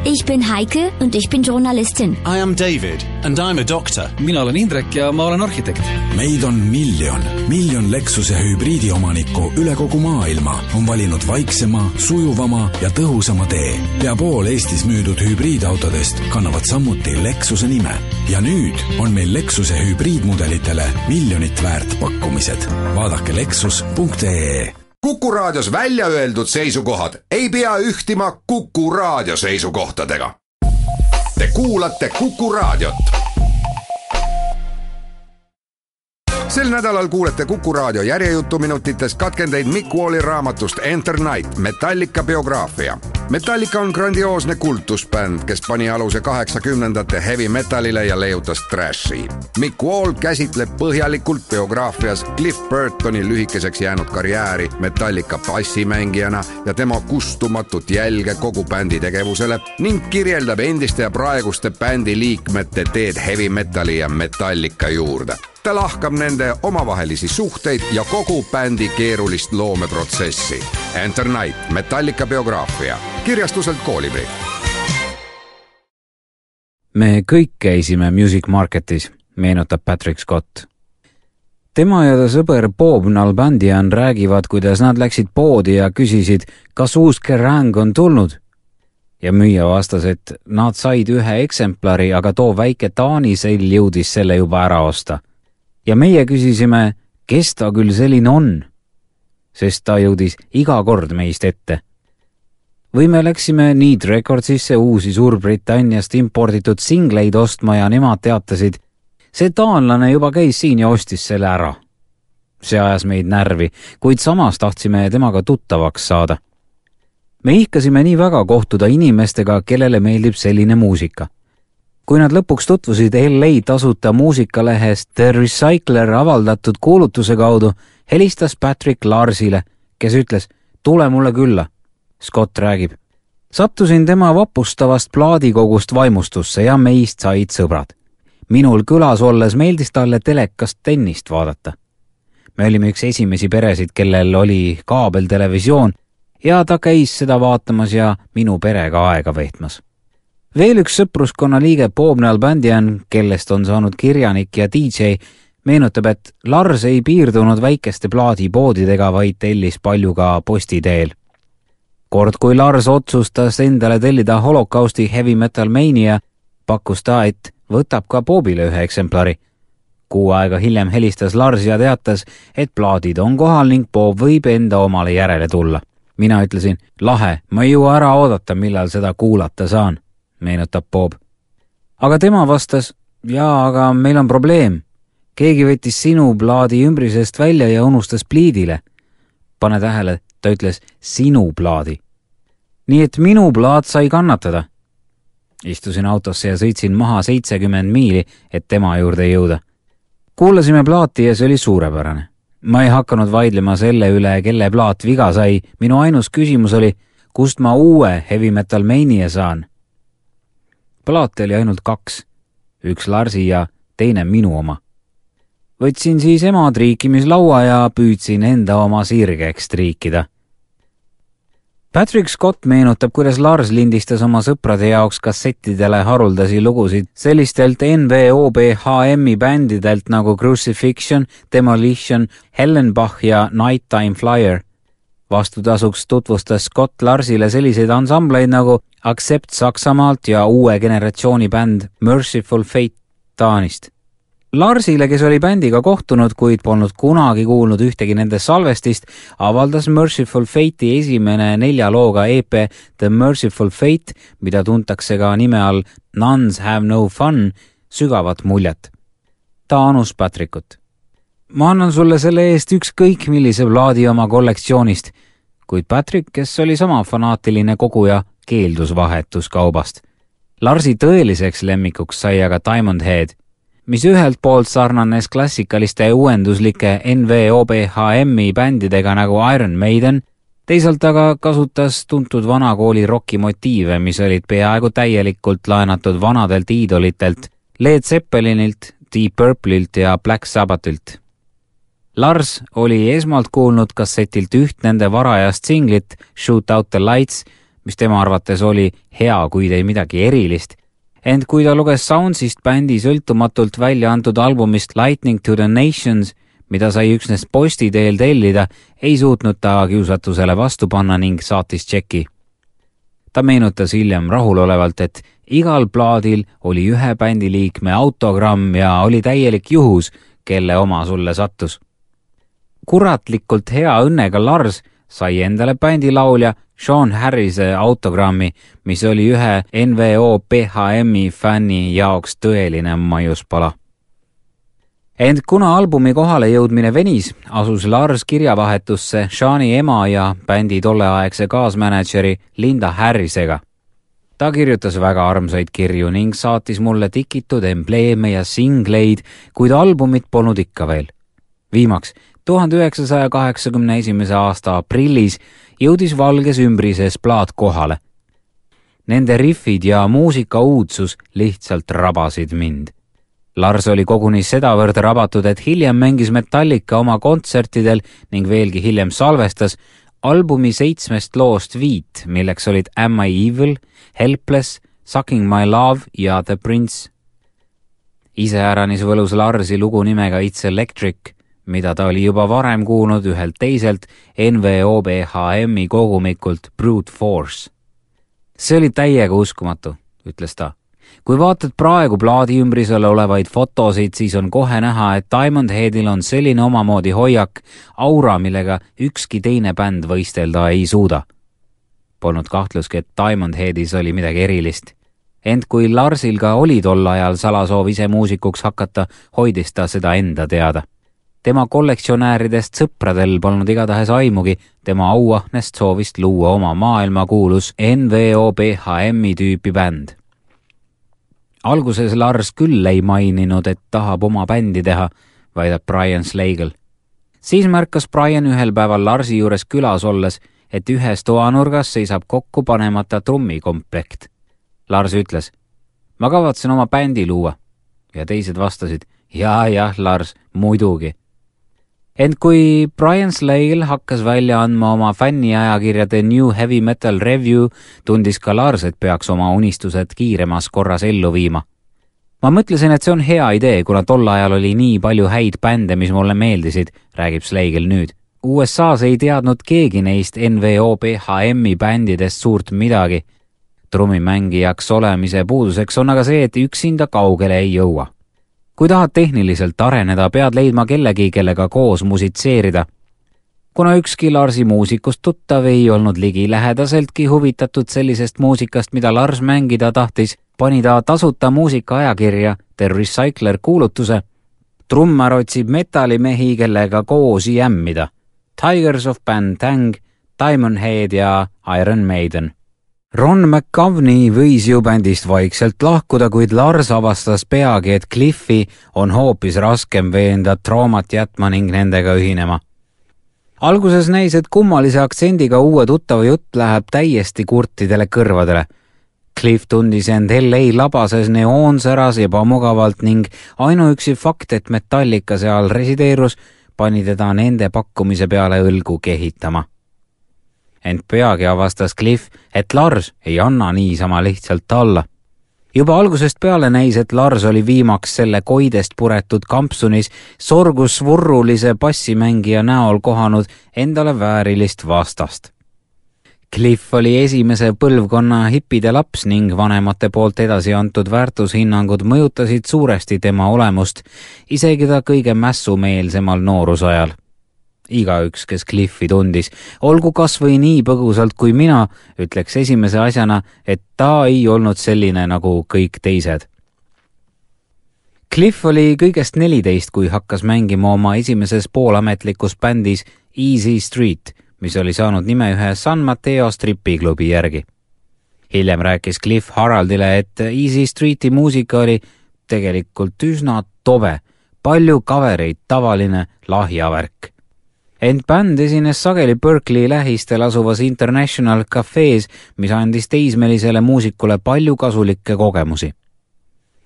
Ich bin Heike und ich bin Journalistin. I am David and I'm a doctor. Mina olen Indrek ja ma olen arhitekt. Meid on miljon Lexuse hübriidiomanikku üle kogu maailma on valinud vaiksema, sujuvama ja tõhusama tee. Pea pool Eestis müüdud hübriidautodest kannavad samuti Lexuse nime. Ja nüüd on meil Lexuse hübriidmudelitele miljonit väärt pakkumised. Vaadake lexus.ee. Kuku raadios välja öeldud seisukohad ei pea ühtima Kuku raadio seisukohtadega. Te kuulate Kuku raadiot. Sel nädalal kuulete Kuku raadio järjejutuminutites katkendeid Mick Walli raamatust Enter Night, Metallica biograafia. Metallica on grandioosne kultusbänd, kes pani aluse 80ndate heavy metalile ja leiutas trashi. Mick Wall käsitleb põhjalikult biograafias Cliff Burtoni lühikeseks jäänud karjääri Metallica bassimängijana ja tema kustumatut jälge kogu bändi tegevusele ning kirjeldab endiste ja praeguste bändi liikmete teed heavy metali ja Metallica juurde. Ta lahkab nende omavahelisi suhteid ja kogu bändi keerulist loomeprotsessi. Enter Night, Metallica biograafia. Kirjastuselt Koolibri. Me kõik käisime Music Marketis, meenutab Patrick Scott. Tema ja ta sõber Bob Nalbandian räägivad, kuidas nad läksid poodi ja küsisid, kas uus Kerrang on tulnud. Ja müüja vastas, et nad said ühe eksemplari, aga too väike Taani sell jõudis selle juba ära osta. Ja meie küsisime, kes ta küll selline on, sest ta jõudis iga kord meist ette. Või me läksime Need Recordsisse uusi Suurbritanniast imporditud singleid ostma ja nemad teatasid, see taanlane juba käis siin ja ostis selle ära. See ajas meid närvi, kuid samas tahtsime temaga tuttavaks saada. Me ihkasime nii väga kohtuda inimestega, kellele meeldib selline muusika. Kui nad lõpuks tutvusid LA tasuta muusikalehest The Recycler avaldatud kuulutuse kaudu, helistas Patrick Larsile, kes ütles, tule mulle külla. Scott räägib. Sattusin tema vapustavast plaadikogust vaimustusse ja meist said sõbrad. Minul külas olles meeldis talle telekast tennist vaadata. Me olime üks esimesi peresid, kellel oli kaabeltelevisioon ja ta käis seda vaatamas ja minu perega aega veetmas. Veel üks sõpruskonna liige Bob Nalbandian, kellest on saanud kirjanik ja DJ, meenutab, et Lars ei piirdunud väikeste plaadipoodidega, vaid tellis palju ka postiteel. Kord, kui Lars otsustas endale tellida Holocausti Heavy Metal Mania, pakkus ta, et võtab ka Bobile ühe eksemplari. Kuu aega hiljem helistas Lars ja teatas, et plaadid on kohal ning Bob võib enda omale järele tulla. Mina ütlesin, lahe, ma ei jõua ära oodata, millal seda kuulata saan. Meenutab Bob. Aga tema vastas, jaa, aga meil on probleem. Keegi võttis sinu plaadi ümbrisest välja ja unustas pliidile. Pane tähele, ta ütles sinu plaadi. Nii et minu plaad sai kannatada. Istusin autosse ja sõitsin maha 70 miili, et tema juurde jõuda. Kuulasime plaati ja see oli suurepärane. Ma ei hakanud vaidlema selle üle, kelle plaat viga sai. Minu ainus küsimus oli, kust ma uue Heavy Metal Mania saan. Plaate oli ainult 2, üks Larsi ja teine minu oma. Võtsin siis ema triikimislaua ja püüdsin enda oma sirgeks triikida. Patrick Scott meenutab, kuidas Lars lindistas oma sõprade jaoks kassettidele haruldasi lugusid sellistelt NWOBHM-i bändidelt nagu Crucifixion, Demolition, Hellenbach ja Nighttime Flyer. Vastutasuks tutvustas Scott Larsile selliseid ansambleid nagu Accept Saksamaalt ja uue generatsiooni bänd Merciful Fate Taanist. Larsile, kes oli bändiga kohtunud, kuid polnud kunagi kuulnud ühtegi nende salvestist, avaldas Merciful Fate'i esimene 4 looga EP The Merciful Fate, mida tuntakse ka nime all Nuns Have No Fun, sügavat muljet. Ta anus Patrickut. Ma annan sulle selle eest ükskõik millise plaadi oma kollektsioonist, kuid Patrick, kes oli sama fanaatiline koguja, keeldus vahetuskaubast. Larsi tõeliseks lemmikuks sai aga Diamond Head, mis ühelt poolt sarnanes klassikaliste uuenduslike NWOBHM-i bändidega nagu Iron Maiden, teisalt aga kasutas tuntud vanakooli rocki motiive, mis olid peaaegu täielikult laenatud vanadelt iidolitelt, Led Zeppelinilt, Deep Purpleilt ja Black Sabbathilt. Lars oli esmalt kuulnud kassetilt üht nende varajast singlit Shoot Out the Lights, mis tema arvates oli hea, kuid ei midagi erilist. Ent kui ta luges Soundsist bändi sõltumatult välja antud albumist Lightning to the Nations, mida sai üksnes posti teel tellida, ei suutnud ta kiusatusele vastu panna ning saatis tšeki. Ta meenutas hiljem rahulolevalt, et igal plaadil oli ühe bändiliikme autogramm ja oli täielik juhus, kelle oma sulle sattus. Kuratlikult hea õnnega Lars sai endale bändilaulja Sean Harrise autogrammi, mis oli ühe NWO/PHM-i fänni jaoks tõeline maiuspala. Ent kuna albumi kohale jõudmine venis, asus Lars kirjavahetusse Seani ema ja bändi tolleaegse kaasmänedžeri Linda Harrisega. Ta kirjutas väga armsaid kirju ning saatis mulle tikitud embleeme ja singleid, kuid albumit polnud ikka veel. Viimaks 1981. aasta aprillis jõudis valges ümbrises plaat kohale. Nende riffid ja muusika uudsus lihtsalt rabasid mind. Lars oli koguni sedavõrd rabatud, et hiljem mängis Metallica oma kontsertidel ning veelgi hiljem salvestas albumi 7 loost 5, milleks olid Am I Evil, Helpless, Sucking My Love ja The Prince. Iseäranis võlus Larsi lugu nimega It's Electric, mida ta oli juba varem kuulnud ühelt teiselt NWO/PHM-i kogumikult Brute Force. See oli täiega uskumatu, ütles ta. Kui vaatad praegu plaadi ümbrisel olevaid fotosid, siis on kohe näha, et Diamond Headil on selline omamoodi hoiak, aura, millega ükski teine bänd võistelda ei suuda. Polnud kahtluski, et Diamond Headis oli midagi erilist. Ent kui Larsil ka oli tol ajal salasoov ise muusikuks hakata, hoidis ta seda enda teada. Tema kollektsionääridest sõpradel polnud igatahes aimugi, tema auahnest soovist luua oma maailmakuulus NWO/PHM-i tüüpi bänd. Alguses Lars küll ei maininud, et tahab oma bändi teha, väidab Brian Slagel. Siis märkas Brian ühel päeval Larsi juures külas olles, et ühes toanurgas seisab kokku panemata trummikomplekt. Lars ütles, ma kavatsen oma bändi luua. Ja teised vastasid, jah, Lars, muidugi. Ent kui Brian Slagel hakkas välja andma oma fänniajakirjade New Heavy Metal Review, tundis ka Lars, et peaks oma unistused kiiremas korras ellu viima. Ma mõtlesin, et see on hea idee, kuna tol ajal oli nii palju häid bände, mis mulle meeldisid, räägib Slagel nüüd. USAs ei teadnud keegi neist NWO/PHM-i bändidest suurt midagi. Trummimängijaks olemise puuduseks on aga see, et üksinda kaugele ei jõua. Kui tahad tehniliselt areneda, pead leidma kellegi, kellega koos musitseerida. Kuna ükski Larsi muusikust tuttav ei olnud ligilähedaseltki huvitatud sellisest muusikast, mida Lars mängida tahtis, pani ta tasuta muusikaajakirja The Recycler kuulutuse. Trummar otsib metallimehi, kellega koos jämmida. Tigers of Pantang, Diamond Head ja Iron Maiden. Ron McGovney võis ju bändist vaikselt lahkuda, kuid Lars avastas peagi, et Cliffi on hoopis raskem veenda traumat jätma ning nendega ühinema. Alguses näis, et kummalise aktsendiga uue tuttava jutt läheb täiesti kurtidele kõrvadele. Cliff tundis end LA labases neoonsäras ebamugavalt ning ainuüksi fakt, et Metallica seal resideerus, pani teda nende pakkumise peale õlgu kehitama. Ent peagi avastas Cliff, et Lars ei anna niisama lihtsalt alla. Juba algusest peale näis, et Lars oli viimaks selle koidest puretud kampsunis sorgusvurrulise bassimängija näol kohanud endale väärilist vastast. Cliff oli esimese põlvkonna hippide laps ning vanemate poolt edasi antud väärtushinnangud mõjutasid suuresti tema olemust, isegi ta kõige mässumeelsemal noorusajal. Igaüks, kes Cliffi tundis, olgu kas või nii põgusalt kui mina, ütleks esimese asjana, et ta ei olnud selline nagu kõik teised. Cliff oli kõigest 14, kui hakkas mängima oma esimeses poolametlikus bändis Easy Street, mis oli saanud nime ühe San Mateo stripiklubi järgi. Hiljem rääkis Cliff Haraldile, et Easy Streeti muusika oli tegelikult üsna tobe, palju kavereid, tavaline lahjavärk. Ent bänd esines sageli Berkeley lähistel asuvas International Cafe's, mis andis teismelisele muusikule palju kasulikke kogemusi.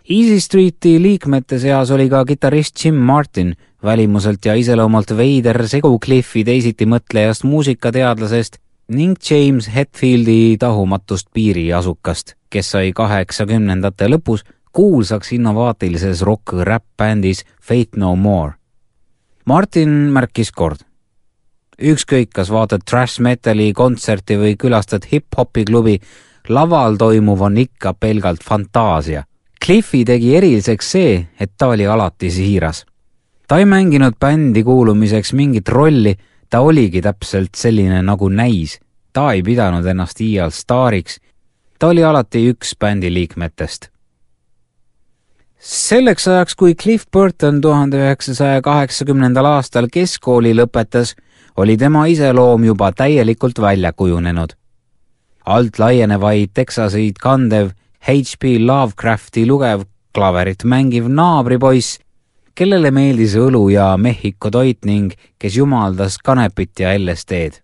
Easy Streeti liikmete seas oli ka kitarrist Jim Martin, välimuselt ja iseloomalt veider segu Cliffi teisiti mõtlejast muusikateadlasest ning James Hetfieldi tahumatust piiriasukast, kes sai 80ndate lõpus kuulsaks innovaatilises rock-rap-bändis Faith No More. Martin märkis kord. Ükskõik, kas vaatad trash metali kontserti või külastad hip-hopi klubi, laval toimuv on ikka pelgalt fantaasia. Cliffi tegi eriliseks see, et ta oli alati siiras. Ta ei mänginud bändi kuulumiseks mingit rolli, ta oligi täpselt selline nagu näis. Ta ei pidanud ennast iial staariks. Ta oli alati üks bändi liikmetest. Selleks ajaks, kui Cliff Burton 1980. aastal keskkooli lõpetas, oli tema iseloom juba täielikult välja kujunenud. Alt laienevaid Texaseid kandev H.P. Lovecrafti lugev klaverit mängiv naabripoiss, kellele meeldis õlu ja Mehhiko toit ning kes jumaldas kanepit ja LSD-d.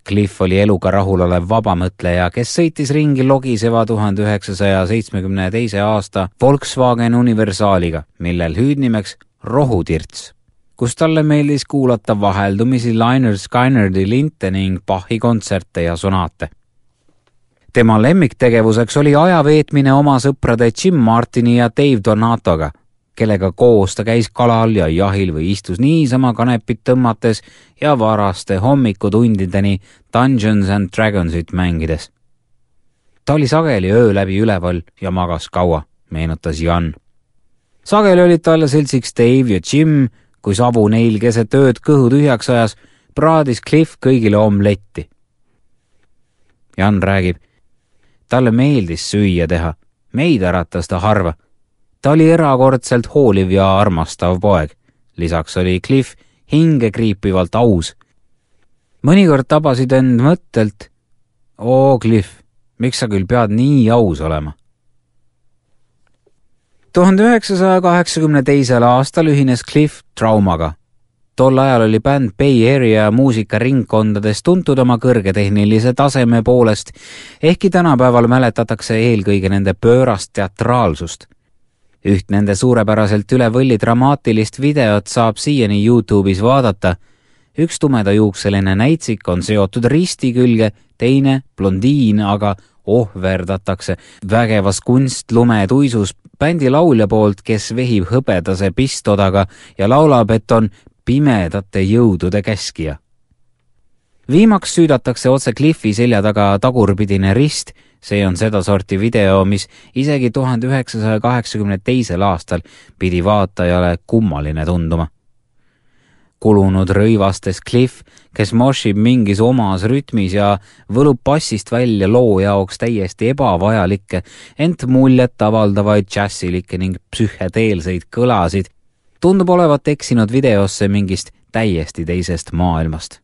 Cliff oli eluga rahulolev vabamõtleja, kes sõitis ringi logiseva 1972. aasta Volkswagen Universaaliga, millel hüüdnimeks Rohutirts, kus talle meeldis kuulata vaheldumisi Lynyrd Skynyrd'i linte ning Bachi kontserte ja sonaate. Tema lemmiktegevuseks oli ajaveetmine oma sõprade Jim Martini ja Dave Donatoga, kellega koos ta käis kalal ja jahil või istus niisama kanepit tõmmates ja varaste hommikutundideni Dungeons and Dragonsit mängides. Ta oli sageli öö läbi üleval ja magas kaua, meenutas Jan. Sageli olid talle seltsiks Dave ja Jim, kui sabu neil keset ööd kõhu tühjaks ajas, praadis Cliff kõigile omletti. Jan räägib, talle meeldis süüa teha, meid äratas ta harva. Ta oli erakordselt hooliv ja armastav poeg. Lisaks oli Cliff hingekriipivalt aus. Mõnikord tabasid end mõttelt, Cliff, miks sa küll pead nii aus olema? 1982. aastal ühines Cliff Traumaga. Tol ajal oli bänd Bay Area muusikaringkondades tuntud oma kõrgetehnilise taseme poolest, ehkki tänapäeval mäletatakse eelkõige nende pöörast teatraalsust. Üht nende suurepäraselt üle võlli dramaatilist videot saab siiani YouTube'is vaadata. Üks tumedajuukseline näitsik on seotud risti külge, teine blondiin aga ohverdatakse vägevas kunstlumetuisus bändi laulja poolt, kes vehib hõbedase pistodaga ja laulab, et on pimedate jõudude käskija. Viimaks süüdatakse otse Cliffi selja taga tagurpidine rist. See on seda sorti video, mis isegi 1982. aastal pidi vaatajale kummaline tunduma. Kulunud rõivastes Cliff, kes moshib mingis omas rütmis ja võlub bassist välja loo jaoks täiesti ebavajalikke, ent muljet avaldavaid džässilikke ning psühhedeelseid kõlasid, tundub olevat eksinud videosse mingist täiesti teisest maailmast.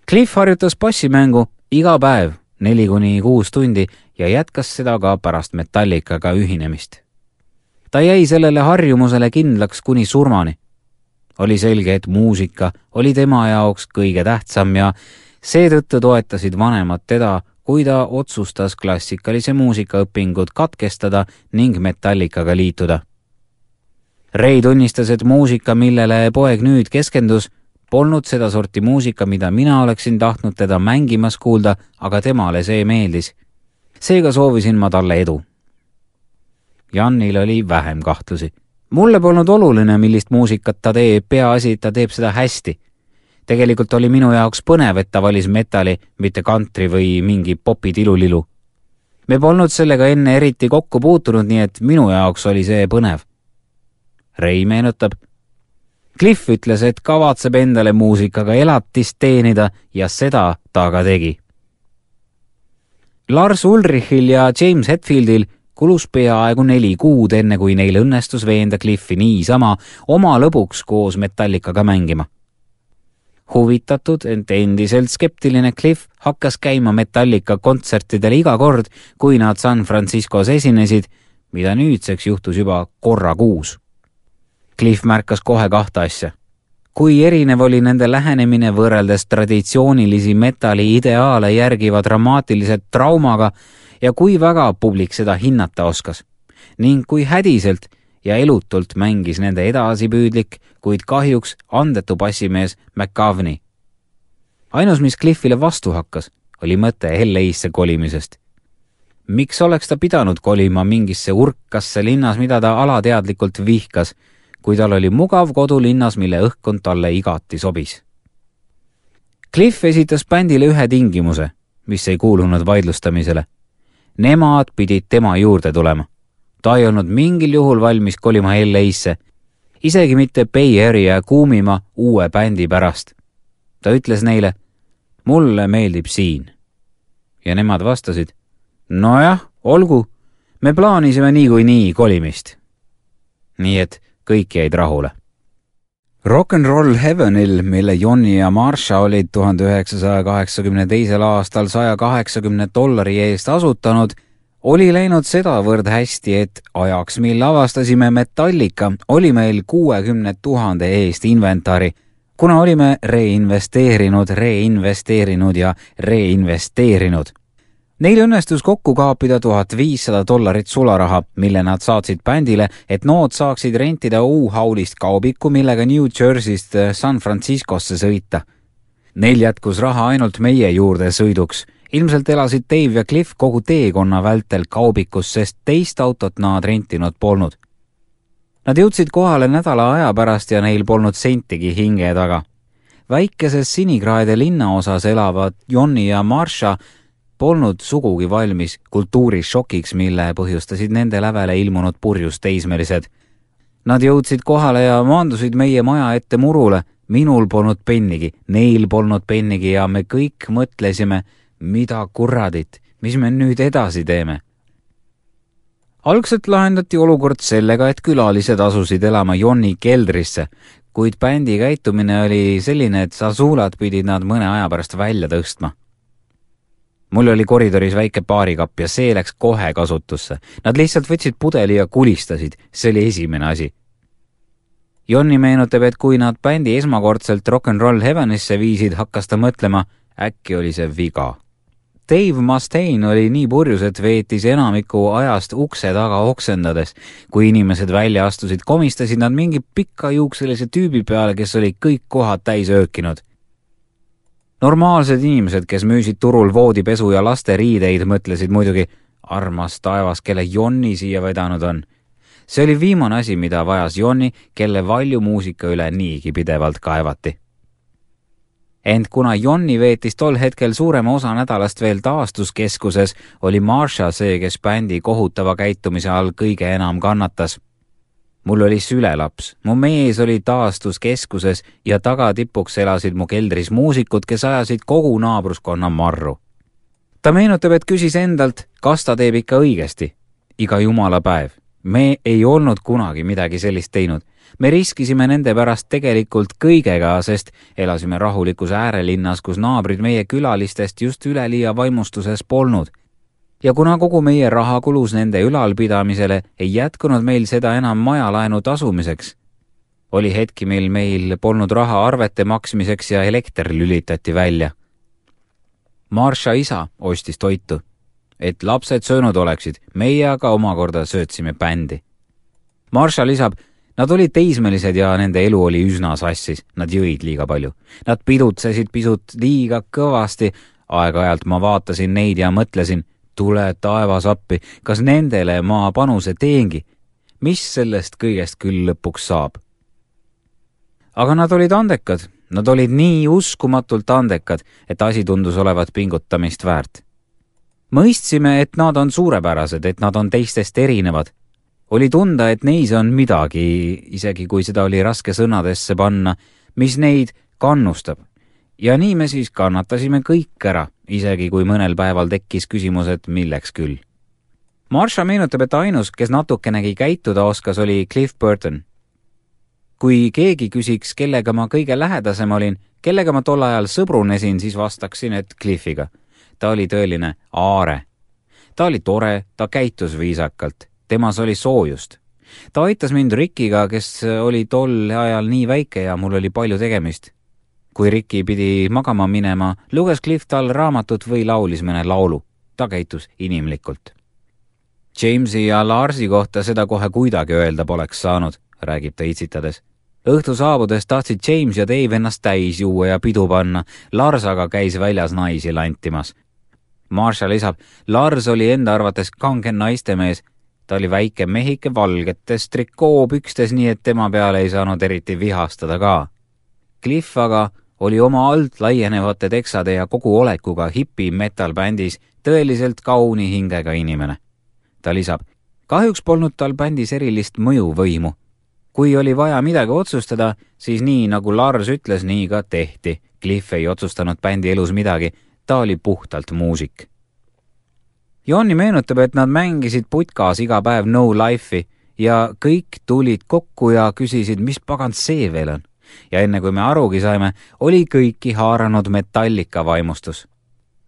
Cliff harjutas bassimängu iga päev 4-6 tundi ja jätkas seda ka pärast Metallicaga ühinemist. Ta jäi sellele harjumusele kindlaks kuni surmani. Oli selge, et muusika oli tema jaoks kõige tähtsam ja seetõttu toetasid vanemad teda, kui ta otsustas klassikalise muusikaõpingud katkestada ning Metallicaga liituda. Ray tunnistas, et muusika, millele poeg nüüd keskendus, polnud seda sorti muusika, mida mina oleksin tahtnud teda mängimas kuulda, aga temale see meeldis. Seega soovisin ma talle edu. Jannil oli vähem kahtlusi. Mulle polnud oluline, millist muusikat ta teeb, peaasi, et ta teeb seda hästi. Tegelikult oli minu jaoks põnev, et ta valis metali, mitte country või mingi popi tilulilu. Me polnud sellega enne eriti kokku puutunud, nii et minu jaoks oli see põnev. Ray meenutab. Cliff ütles, et kavatseb endale muusikaga elatist teenida ja seda ta ka tegi. Lars Ulrichil ja James Hetfieldil kulus peaaegu 4 kuud enne, kui neil õnnestus veenda Cliffi niisama oma lõbuks koos Metallicaga mängima. Huvitatud, ent endiselt skeptiline Cliff hakkas käima Metallica kontsertidel iga kord, kui nad San Franciscos esinesid, mida nüüdseks juhtus juba korra kuus. Cliff märkas kohe 2 asja. Kui erinev oli nende lähenemine võrreldes traditsioonilisi metalli ideaale järgiva dramaatiliselt Traumaga ja kui väga publik seda hinnata oskas, ning kui hädiselt ja elutult mängis nende edasipüüdlik, kuid kahjuks andetu bassimees McGovney. ainus, mis Cliffile vastu hakkas, oli mõte LA-sse kolimisest. Miks oleks ta pidanud kolima mingisse urkasse linnas, mida ta alateadlikult vihkas, kui tal oli mugav kodulinnas, mille õhkkond talle igati sobis? Cliff esitas bändile ühe tingimuse, mis ei kuulunud vaidlustamisele. Nemad pidid tema juurde tulema. Ta ei olnud mingil juhul valmis kolima LA-sse, isegi mitte Bay Area kuumima uue bändi pärast. Ta ütles neile, mulle meeldib siin. Ja nemad vastasid, nojah, olgu, me plaanisime niikuinii kolimist. Nii et kõik jäid rahule. Rock and Roll Heavenil, mille Johnny ja Marsha olid 1982. aastal $180 eest asutanud, oli läinud sedavõrd hästi, et ajaks, mil avastasime Metallica, oli meil 60 000 eest inventari, kuna olime reinvesteerinud ja reinvesteerinud. Neil õnnestus kokku kaapida $1500 sularaha, mille nad saatsid bändile, et nood saaksid rentida U-Haulist kaubiku, millega New Jerseyst San Franciscosse sõita. Neil jätkus raha ainult meie juurde sõiduks. Ilmselt elasid Dave ja Cliff kogu teekonna vältel kaubikus, sest teist autot nad rentinud polnud. Nad jõudsid kohale nädala aja pärast ja neil polnud sentigi hinge taga. Väikeses Sinikraede linnaosas elavad Johnny ja Marsha polnud sugugi valmis kultuurishokiks, mille põhjustasid nende lävele ilmunud purjus teismelised. Nad jõudsid kohale ja maandusid meie maja ette murule. Minul polnud pennigi, neil polnud pennigi ja me kõik mõtlesime, mida kurradit, mis me nüüd edasi teeme. Algselt lahendati olukord sellega, et külalised asusid elama Johnny keldrisse, kuid bändi käitumine oli selline, et Sazulad pidid nad mõne aja pärast välja tõstma. Mul oli koridoris väike baarikapp ja see läks kohe kasutusse. Nad lihtsalt võtsid pudeli ja kulistasid, see oli esimene asi. Johnny meenutab, et kui nad bändi esmakordselt Rock and Roll Heavenisse viisid, hakkas ta mõtlema, äkki oli see viga. Dave Mustaine oli nii purjus, et veetis enamiku ajast ukse taga oksendades. Kui inimesed välja astusid, komistasid nad mingi pikkajuukselise tüübi peale, kes oli kõik kohad täis öökinud. Normaalsed inimesed, kes müüsid turul voodipesu ja laste riideid, mõtlesid muidugi, armas taevas, kelle Johnny siia vedanud on. See oli viimane asi, mida vajas Johnny, kelle valju muusika üle niigi pidevalt kaevati. Ent kuna Johnny veetis tol hetkel suurema osa nädalast veel taastuskeskuses, oli Marsha see, kes bändi kohutava käitumise all kõige enam kannatas. Mul oli sülelaps, mu mees oli taastuskeskuses ja tagatipuks elasid mu keldris muusikud, kes ajasid kogu naabruskonna marru. Ta meenutab, et küsis endalt, kas ta teeb ikka õigesti. Iga jumala päev. Me ei olnud kunagi midagi sellist teinud. Me riskisime nende pärast tegelikult kõigega, sest elasime rahulikus äärelinnas, kus naabrid meie külalistest just üleliia vaimustuses polnud. Ja kuna kogu meie raha kulus nende ülalpidamisele, ei jätkunud meil seda enam majalaenu tasumiseks. Oli hetki, mil meil polnud raha arvete maksmiseks ja elekter lülitati välja. Marsha isa ostis toitu, et lapsed söönud oleksid, meie aga omakorda söötsime bändi. Marsha lisab, nad olid teismelised ja nende elu oli üsna sassis, nad jõid liiga palju. Nad pidutsesid pisut liiga kõvasti, aeg-ajalt ma vaatasin neid ja mõtlesin, tule taevas appi, kas nendele ma panuse teengi, mis sellest kõigest küll lõpuks saab. Aga nad olid andekad, nad olid nii uskumatult andekad, et asi tundus olevat pingutamist väärt. Mõistsime, et nad on suurepärased, et nad on teistest erinevad. Oli tunda, et neis on midagi, isegi kui seda oli raske sõnadesse panna, mis neid kannustab. Ja nii me siis kannatasime kõik ära, isegi kui mõnel päeval tekkis küsimus, et milleks küll. Marsha meenutab, et ainus, kes natukenegi käituda oskas, oli Cliff Burton. Kui keegi küsiks, kellega ma kõige lähedasem olin, kellega ma tol ajal sõbrunesin, siis vastaksin, et Cliffiga. Ta oli tõeline aare. Ta oli tore, ta käitus viisakalt. Temas oli soojust. Ta aitas mind Rickiga, kes oli tol ajal nii väike ja mul oli palju tegemist. Kui Ricky pidi magama minema, luges Cliff tal raamatut või laulis mõne laulu. Ta käitus inimlikult. Jamesi ja Larsi kohta seda kohe kuidagi öelda poleks saanud, räägib ta itsitades. õhtu saabudes tahtsid James ja Dave ennast täis juua ja pidu panna, Lars aga käis väljas naisi lantimas. Marshall lisab, Lars oli enda arvates kange naistemees. Ta oli väike mehike valgetes trikoopükstes, nii et tema peale ei saanud eriti vihastada ka. Cliff aga oli oma alt laienevate teksade ja kogu olekuga hipi metal bändis tõeliselt kauni hingega inimene. Ta lisab, kahjuks polnud tal bändis erilist mõjuvõimu. Kui oli vaja midagi otsustada, siis nii nagu Lars ütles, nii ka tehti. Cliff ei otsustanud bändi elus midagi, ta oli puhtalt muusik. Jonni meenutab, et nad mängisid putkas iga päev No Life'i ja kõik tulid kokku ja küsisid, mis pagant see veel on. Ja enne kui me arugi saime, oli kõiki haaranud Metallica vaimustus.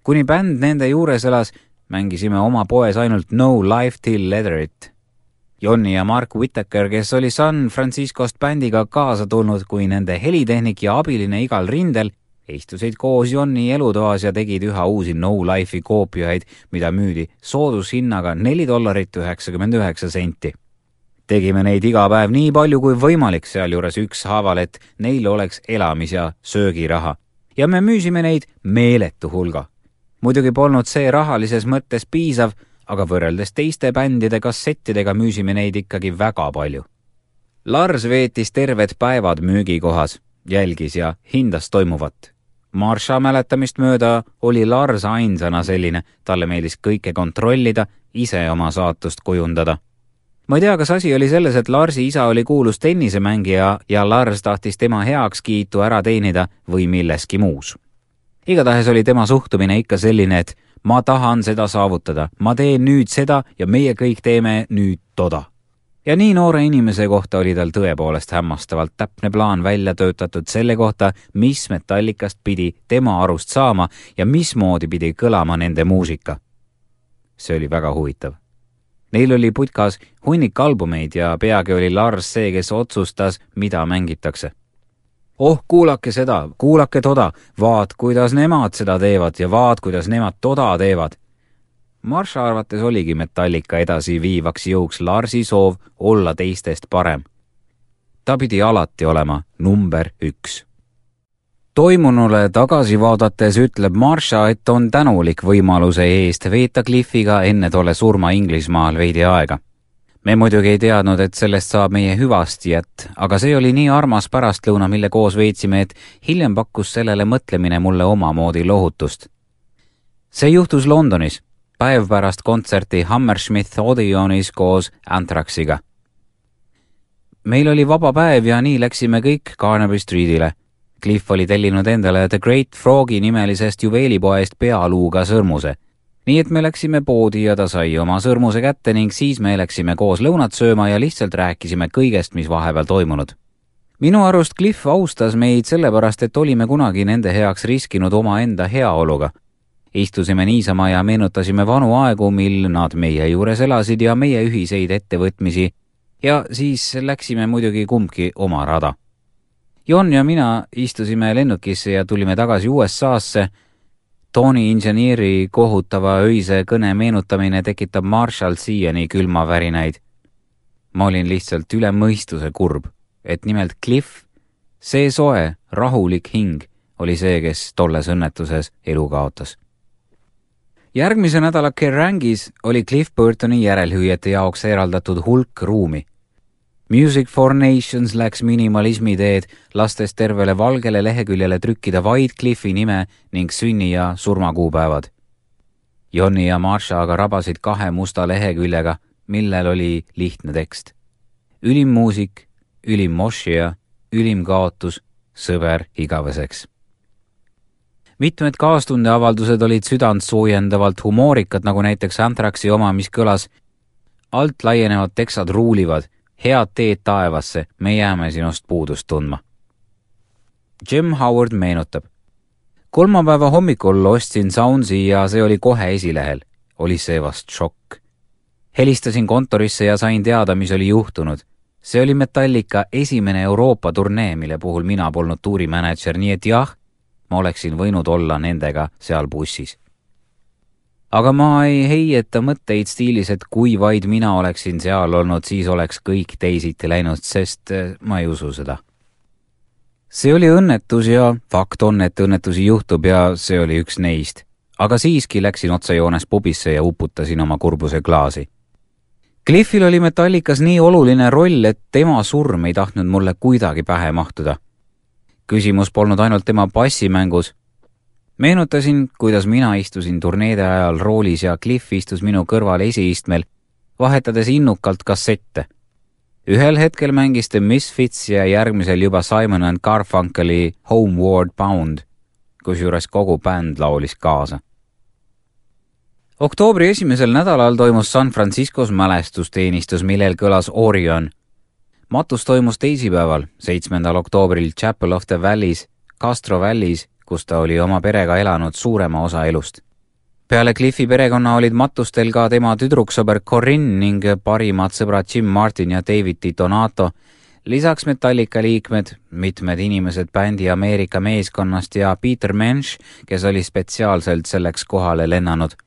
Kuni bänd nende juures elas, mängisime oma poes ainult No Life Till Leather It. Jonni ja Mark Whittaker, kes oli San Franciscost bändiga kaasa tulnud kui nende helitehnik ja abiline igal rindel, istusid koos Jonni elutoas ja tegid üha uusi No Life'i koopiaid, mida müüdi soodushinnaga $4.99. Tegime neid iga päev nii palju kui võimalik, sealjuures ükshaaval, et neil oleks elamis- ja söögiraha. Ja me müüsime neid meeletu hulga. Muidugi polnud see rahalises mõttes piisav, aga võrreldes teiste bändide kassettidega müüsime neid ikkagi väga palju. Lars veetis terved päevad müügikohas, jälgis ja hindas toimuvat. Marsha mäletamist mööda oli Lars ainsana selline, talle meeldis kõike kontrollida, ise oma saatust kujundada. Ma ei tea, kas asi oli selles, et Larsi isa oli kuulus tennisemängija ja Lars tahtis tema heakskiitu ära teenida või milleski muus. Igatahes oli tema suhtumine ikka selline, et ma tahan seda saavutada, ma teen nüüd seda ja meie kõik teeme nüüd toda. Ja nii noore inimese kohta oli tal tõepoolest hämmastavalt täpne plaan välja töötatud selle kohta, mis Metallicast pidi tema arust saama ja mismoodi pidi kõlama nende muusika. See oli väga huvitav. Neil oli putkas hunnik albumeid ja peagi oli Lars see, kes otsustas, mida mängitakse. Oh, kuulake seda, kuulake toda, vaat kuidas nemad seda teevad ja vaat kuidas nemad toda teevad. Marsha arvates oligi Metallica edasi viivaks jõuks Larsi soov olla teistest parem. Ta pidi alati olema number 1. Toimunule tagasi vaadates ütleb Marsha, et on tänulik võimaluse eest veeta Cliffiga enne tolle surma Inglismaal veidi aega. Me muidugi ei teadnud, et sellest saab meie hüvastijät, aga see oli nii armas pärastlõuna, mille koos veetsime, et hiljem pakkus sellele mõtlemine mulle omamoodi lohutust. See juhtus Londonis, päev pärast kontserti Hammersmith Odeonis koos Anthraxiga. Meil oli vaba päev ja nii läksime kõik Carnaby Streetile. Cliff oli tellinud endale The Great Frogi nimelisest juveelipoest pealuuga sõrmuse. Nii et me läksime poodi ja ta sai oma sõrmuse kätte ning siis me läksime koos lõunat sööma ja lihtsalt rääkisime kõigest, mis vahepeal toimunud. Minu arust Cliff austas meid sellepärast, et olime kunagi nende heaks riskinud oma enda heaoluga. Istusime niisama ja meenutasime vanu aegu, mil nad meie juures elasid ja meie ühiseid ettevõtmisi ja siis läksime muidugi kumbki oma rada. Jon ja mina istusime lennukisse ja tulime tagasi USA-sse. Tony inženieri kohutava öise kõne meenutamine tekitab Marshall siiani külmavärinaid. Ma olin lihtsalt üle mõistuse kurb, et nimelt Cliff, see soe, rahulik hing, oli see, kes tolles õnnetuses elu kaotas. Järgmise nädala Kerrangis oli Cliff Burtoni järelhüüjate jaoks eraldatud hulk ruumi. Music for Nations läks minimalismi teed, lastes tervele valgele leheküljele trükkida vaid Cliffi nime ning sünni- ja surmakuupäevad. Jonni ja Marsha aga rabasid 2 musta leheküljega, millel oli lihtne tekst. Ülim muusik, ülim mošija, ülim kaotus, sõber igaveseks. Mitmed kaastundeavaldused olid südant soojendavalt humoorikad, nagu näiteks Anthraxi oma, mis kõlas: alt laienevad teksad ruulivad, head teed taevasse, me jääme sinust puudust tundma. Jim Howard meenutab: kolmapäeva hommikul ostsin Soundsi ja see oli kohe esilehel. Oli see vast šokk. Helistasin kontorisse ja sain teada, mis oli juhtunud. See oli Metallica esimene Euroopa turnee, mille puhul mina polnud tuurimänedžer, nii et jah, ma oleksin võinud olla nendega seal bussis. Aga ma ei heieta mõtteid stiilis, et kui vaid mina oleksin seal olnud, siis oleks kõik teisiti läinud, sest ma ei usu seda. see oli õnnetus ja fakt on, et õnnetusi juhtub ja see oli üks neist. Aga siiski läksin otsajoones pubisse ja uputasin oma kurbuse klaasi. Cliffil oli Metallicas nii oluline roll, et tema surm ei tahtnud mulle kuidagi pähe mahtuda. Küsimus polnud ainult tema bassimängus. Meenutasin, kuidas mina istusin turneede ajal roolis ja Cliff istus minu kõrval esiistmel, vahetades innukalt kassette. Ühel hetkel mängis The Misfits ja järgmisel juba Simon and Garfunkeli Homeward Bound, kusjuures kogu bänd laulis kaasa. Oktoobri esimesel nädalal toimus San Franciscos mälestusteenistus, millel kõlas Orion. Matus toimus teisipäeval, 7. oktoobril Chapel of the Valleys, Castro Valleys, kus ta oli oma perega elanud suurema osa elust. Peale Cliffi perekonna olid matustel ka tema tüdruksõber Corinne ning parimad sõbrad Jim Martin ja David Donato, lisaks Metallica liikmed, mitmed inimesed bändi Ameerika meeskonnast ja Peter Mensch, kes oli spetsiaalselt selleks kohale lennanud.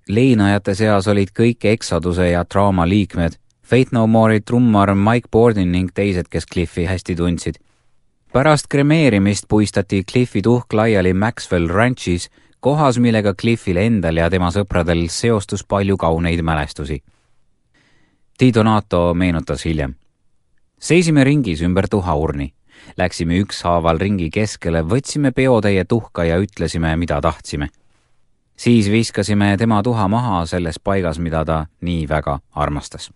Leinajate seas olid kõik Exoduse ja Trauma liikmed, Faith No More'i trummar Mike Bordin ning teised, kes Cliffi hästi tundsid. Pärast kremeerimist puistati Cliffi tuhk laiali Maxwell Ranchis, kohas, millega Cliffil endal ja tema sõpradel seostus palju kauneid mälestusi. Di Donato meenutas hiljem. Seisime ringis ümber tuhaurni. Läksime ükshaaval ringi keskele, võtsime peotäie tuhka ja ütlesime, mida tahtsime. Siis viskasime tema tuha maha selles paigas, mida ta nii väga armastas.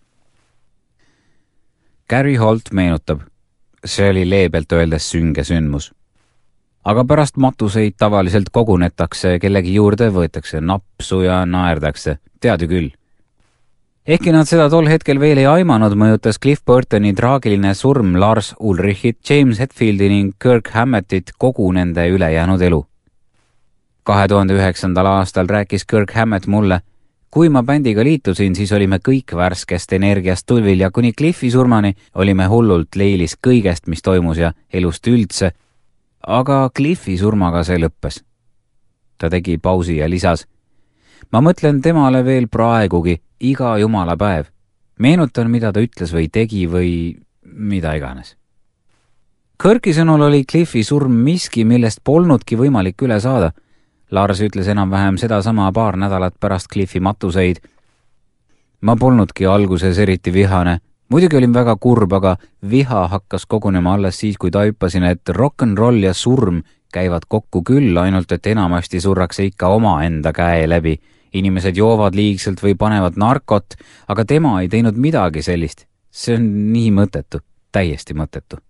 Gary Holt meenutab. See oli leebelt öeldes sünge sündmus. Aga pärast matuseid tavaliselt kogunetakse, kellegi juurde võetakse napsu ja naerdakse, tead ju küll. Ehkki nad seda tol hetkel veel ei aimanud, mõjutas Cliff Burtoni traagiline surm Lars Ulrichit, James Hetfieldi ning Kirk Hammettit kogu nende ülejäänud elu. 2009. aastal rääkis Kirk Hammett mulle, kui ma bändiga liitusin, siis olime kõik värskest energiast tulvil ja kuni Cliffi surmani olime hullult leilis kõigest, mis toimus ja elust üldse, aga Cliffi surmaga see lõppes. Ta tegi pausi ja lisas, ma mõtlen temale veel praegugi iga jumala päev. Meenutan, mida ta ütles või tegi või mida iganes. Kirki sõnul oli Cliffi surm miski, millest polnudki võimalik üle saada. Lars ütles enam-vähem sedasama paar nädalat pärast Cliffi matuseid. Ma polnudki alguses eriti vihane. Muidugi olin väga kurb, aga viha hakkas kogunema alles siis, kui taipasin, et rock'n'roll ja surm käivad kokku küll, ainult et enamasti surrakse ikka oma enda käe läbi. Inimesed joovad liigselt või panevad narkot, aga tema ei teinud midagi sellist. See on nii mõttetu, täiesti mõttetu.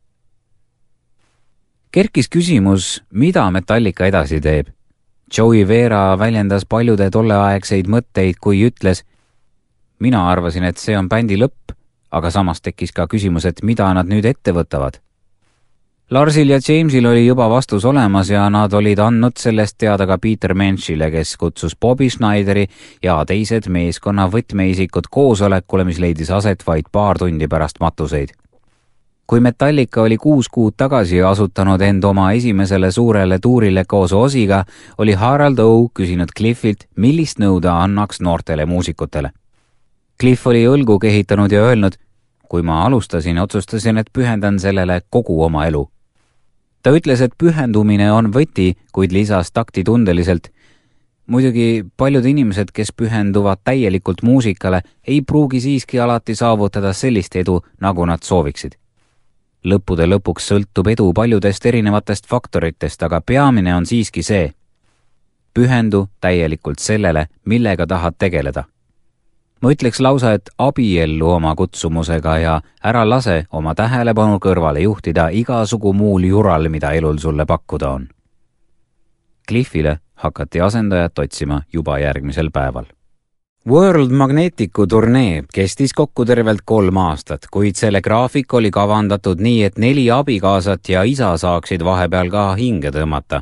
Kerkis küsimus, mida Metallica edasi teeb. Joey Vera väljendas paljude tolleaegseid mõtteid, kui ütles, mina arvasin, et see on bändi lõpp, aga samas tekkis ka küsimus, et mida nad nüüd ette võtavad. Larsil ja Jamesil oli juba vastus olemas ja nad olid andnud sellest teada ka Peter Menschile, kes kutsus Bobby Schneideri ja teised meeskonna võtmeisikud koosolekule, mis leidis aset vaid paar tundi pärast matuseid. Kui Metallica oli 6 kuud tagasi asutanud end oma esimesele suurele tuurile koos Osiga, oli Harald O. küsinud Cliffilt, millist nõu ta annaks noortele muusikutele. Cliff oli õlgu kehitanud ja öelnud, kui ma alustasin, otsustasin, et pühendan sellele kogu oma elu. Ta ütles, et pühendumine on võti, kuid lisas taktitundeliselt. Muidugi paljud inimesed, kes pühenduvad täielikult muusikale, ei pruugi siiski alati saavutada sellist edu, nagu nad sooviksid. Lõppude lõpuks sõltub edu paljudest erinevatest faktoritest, aga peamine on siiski see. Pühendu täielikult sellele, millega tahad tegeleda. Ma ütleks lausa, et abiellu oma kutsumusega ja ära lase oma tähelepanu kõrvale juhtida igasugu muul jural, mida elul sulle pakkuda on. Cliffile hakati asendajat otsima juba järgmisel päeval. World Magneticu turnee kestis kokku tervelt 3 aastat, kuid selle graafik oli kavandatud nii, et 4 abikaasat ja isa saaksid vahepeal ka hinge tõmmata.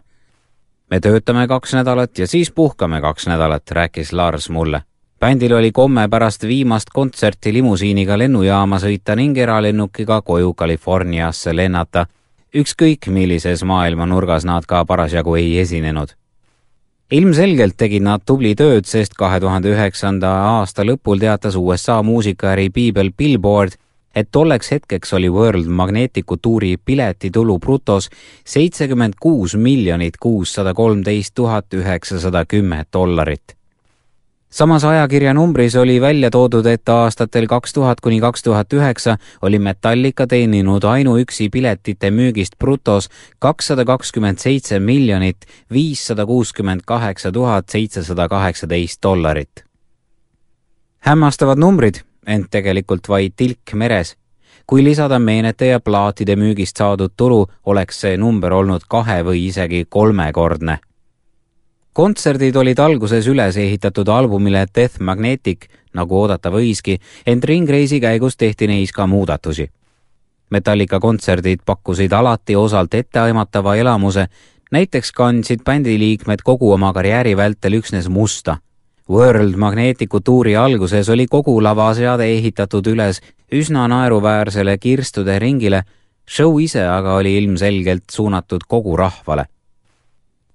Me töötame 2 nädalat ja siis puhkame 2 nädalat, rääkis Lars mulle. Bändil oli komme pärast viimast kontserti limusiiniga lennujaama sõita ning eralennukiga koju Californiasse lennata. Ükskõik millises maailma nurgas nad ka parasjagu ei esinenud. Ilmselgelt tegid nad tubli tööd, sest 2009. aasta lõpul teatas USA muusikaäri Biibel Billboard, et tolleks hetkeks oli World Magneticu tuuri piletitulu brutos $76,613,910. Samas ajakirja numbris oli välja toodud, et aastatel 2000–2009 oli Metallica teeninud ainuüksi piletite müügist brutos $227,568,718. Hämmastavad numbrid, ent tegelikult vaid tilk meres. Kui lisada meenete ja plaatide müügist saadud tulu, oleks see number olnud 2 või isegi 3-kordne. Kontserdid olid alguses üles ehitatud albumile Death Magnetic, nagu oodata võiski, ent ringreisi käigus tehti neis ka muudatusi. Metallica kontserdid pakkusid alati osalt etteaimatava elamuse, näiteks kandsid bändiliikmed kogu oma karjääri vältel üksnes musta. World Magneticu tuuri alguses oli kogu lavaseade ehitatud üles üsna naeruväärsele kirstude ringile, show ise aga oli ilmselgelt suunatud kogu rahvale.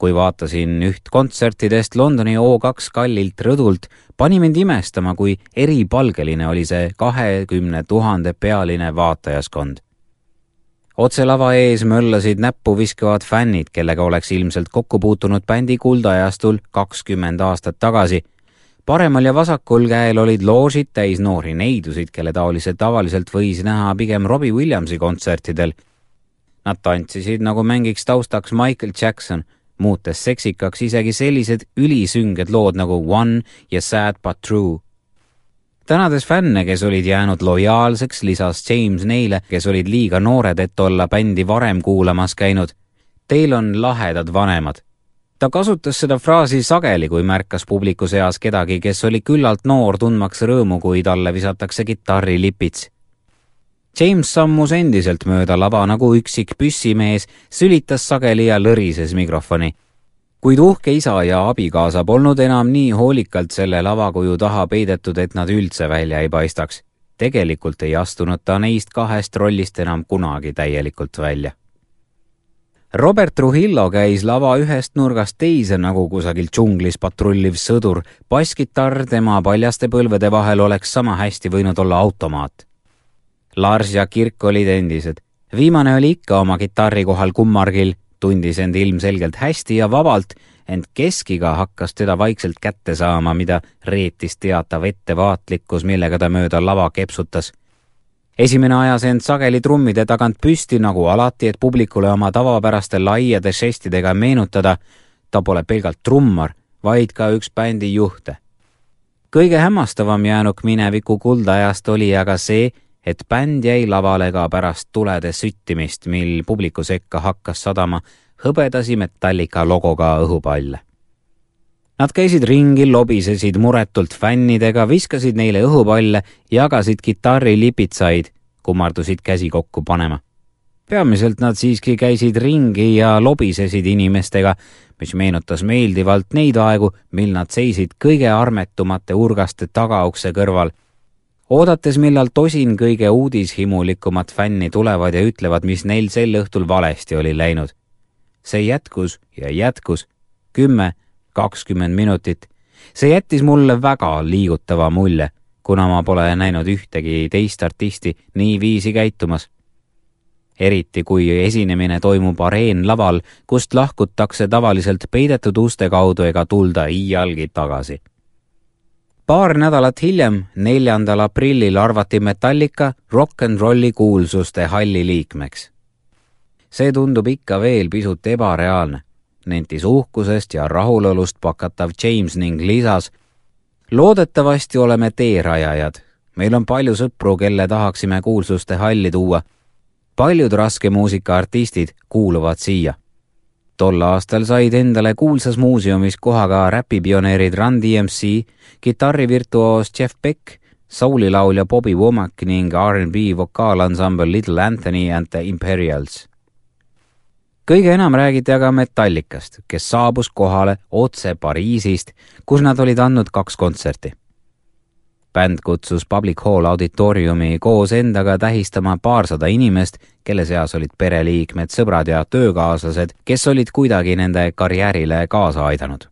Kui vaatasin üht kontsertidest Londoni O2 kallilt rõdult, pani mind imestama, kui eripalgeline oli see 20 000 pealine vaatajaskond. Otse lava ees möllasid näppu viskavad fännid, kellega oleks ilmselt kokku puutunud bändi kuldajastul 20 aastat tagasi. Paremal ja vasakul käel olid loožid täis noori neidusid, kelle tavaliselt võis näha pigem Robbie Williamsi kontsertidel. Nad tantsisid nagu mängiks taustaks Michael Jackson, muutes seksikaks isegi sellised ülisünged lood nagu One ja Sad But True. Tänades fänne, kes olid jäänud lojaalseks, lisas James neile, kes olid liiga noored, et olla bändi varem kuulamas käinud. Teil on lahedad vanemad. Ta kasutas seda fraasi sageli, kui märkas publiku seas kedagi, kes oli küllalt noor tundmaks rõõmu, kui talle visatakse kitarrilipits. James sammus endiselt mööda lava nagu üksik püssimees, sülitas sageli ja lõrises mikrofoni. Kuid uhke isa ja abikaasa polnud enam nii hoolikalt selle lavakuju taha peidetud, et nad üldse välja ei paistaks. Tegelikult ei astunud ta neist 2 rollist enam kunagi täielikult välja. Robert Trujillo käis lava ühest nurgast teise nagu kusagil džunglis patrulliv sõdur. Basskitarr tema paljaste põlvede vahel oleks sama hästi võinud olla automaat. Lars ja Kirk olid endised. Viimane oli ikka oma kitarri kohal kummargil, tundis end ilmselgelt hästi ja vabalt, ent keskiga hakkas teda vaikselt kätte saama, mida reetis teatav ettevaatlikkus, millega ta mööda lava kepsutas. Esimene ajas end sageli trummide tagant püsti nagu alati, et publikule oma tavapäraste laiade žestidega meenutada, ta pole pelgalt trummar, vaid ka üks bändi juhte. Kõige hämmastavam jäänuk mineviku kuldajast oli aga see, et bänd jäi lavale ka pärast tulede süttimist, mil publiku sekka hakkas sadama hõbedasi Metallica logoga õhupalle. Nad käisid ringi, lobisesid muretult fännidega, viskasid neile õhupalle, jagasid kitarrilipitsaid, kummardusid käsi kokku panema. Peamiselt nad siiski käisid ringi ja lobisesid inimestega, mis meenutas meeldivalt neid aegu, mil nad seisid kõige armetumate urgaste tagaukse kõrval, oodates, millal tosin kõige uudishimulikumat fänni tulevad ja ütlevad, mis neil sel õhtul valesti oli läinud. See jätkus ja jätkus 10–20 minutit. See jättis mulle väga liigutava mulje, kuna ma pole näinud ühtegi teist artisti nii viisi käitumas. Eriti kui esinemine toimub areenlaval, kust lahkutakse tavaliselt peidetud uste kaudu ega tulda iialgi tagasi. Paar nädalat hiljem, 4. aprillil arvati Metallica rock and rolli kuulsuste halli liikmeks. See tundub ikka veel pisut ebareaalne, nentis uhkusest ja rahulolust pakatav James ning lisas: loodetavasti oleme teerajajad. Meil on palju sõpru, kelle tahaksime kuulsuste halli tuua. Paljud raske muusikaartistid kuuluvad siia. Tol aastal said endale kuulsas muuseumis koha ka räpipioneerid Run DMC, kitarrivirtuoos Jeff Beck, soulilaulja Bobby Womack ning R&B vokaalansambel Little Anthony and the Imperials. Kõige enam räägiti aga Metallicast, kes saabus kohale otse Pariisist, kus nad olid andnud 2 kontserti. Bänd kutsus Public Hall auditoriumi koos endaga tähistama 200 inimest, kelle seas olid pereliikmed, sõbrad ja töökaaslased, kes olid kuidagi nende karjäärile kaasa aidanud.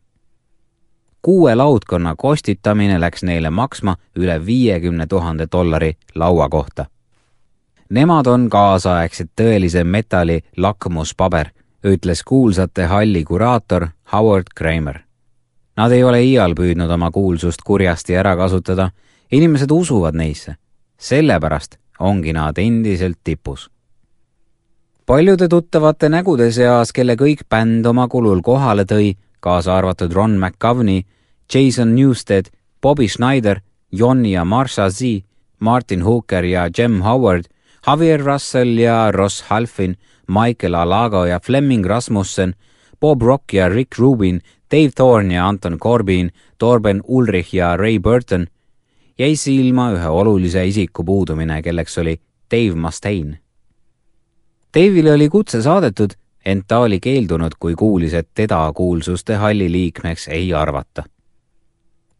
6 laudkonna kostitamine läks neile maksma üle $50,000 laua kohta. Nemad on kaasaegsed tõelise metalli lakmuspaber, ütles kuulsate halli kuraator Howard Kramer. Nad ei ole iial püüdnud oma kuulsust kurjasti ära kasutada, inimesed usuvad neisse. Sellepärast ongi nad endiselt tipus. Paljude tuttavate nägude seas, kelle kõik bänd oma kulul kohale tõi, kaasa arvatud Ron McGovney, Jason Newsted, Bobby Schneider, Jon ja Marsha Z, Martin Hooker ja Jem Howard, Javier Russell ja Ross Halfin, Michael Alago ja Fleming Rasmussen, Bob Rock ja Rick Rubin, Dave Thorne ja Anton Corbin, Torben Ulrich ja Ray Burton, jäi silma ühe olulise isiku puudumine, kelleks oli Dave Mustaine. Dave'ile oli kutse saadetud, ent ta oli keeldunud, kui kuulis, et teda kuulsuste halli liikmeks ei arvata.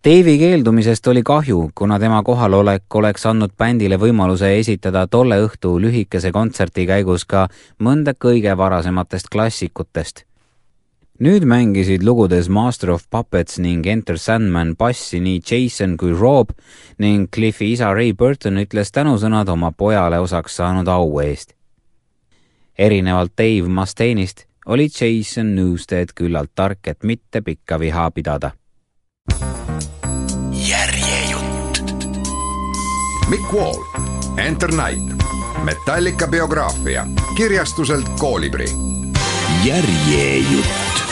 Dave'i keeldumisest oli kahju, kuna tema kohalolek oleks andnud bändile võimaluse esitada tolle õhtu lühikese kontserti käigus ka mõnda kõige varasematest klassikutest. Nüüd mängisid lugudes Master of Puppets ning Enter Sandman bassi nii Jason kui Rob ning Cliffi isa Ray Burton ütles tänusõnad oma pojale osaks saanud au eest. Erinevalt Dave Mustaine'ist oli Jason Newsted küllalt tark, et mitte pikka viha pidada. Järjejutt. Mick Wall, Enter Night, Metallica biograafia, kirjastuselt Kolibri. Järjejutt.